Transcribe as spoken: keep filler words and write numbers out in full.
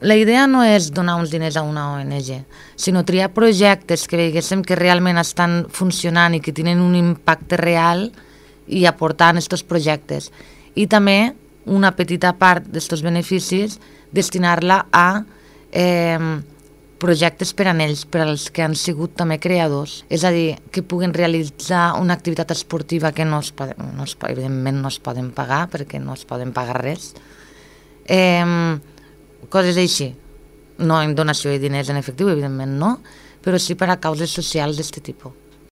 la idea no és donar uns diners a una O N G, sinó triar projectes que veiéssim que realment estan funcionant i que tenen un impacte real i aportar en aquests projectes. I també una petita part d'aquests beneficis destinar-la a eh, projectes per a ells, per als que han sigut també creadors. És a dir, que puguin realitzar una activitat esportiva que no es poden, no es, evidentment no es poden pagar, perquè no es poden pagar res. Eh, coses així. No en donació de diners en efectiu, evidentment no, però sí per a causes socials d'aquest tipus.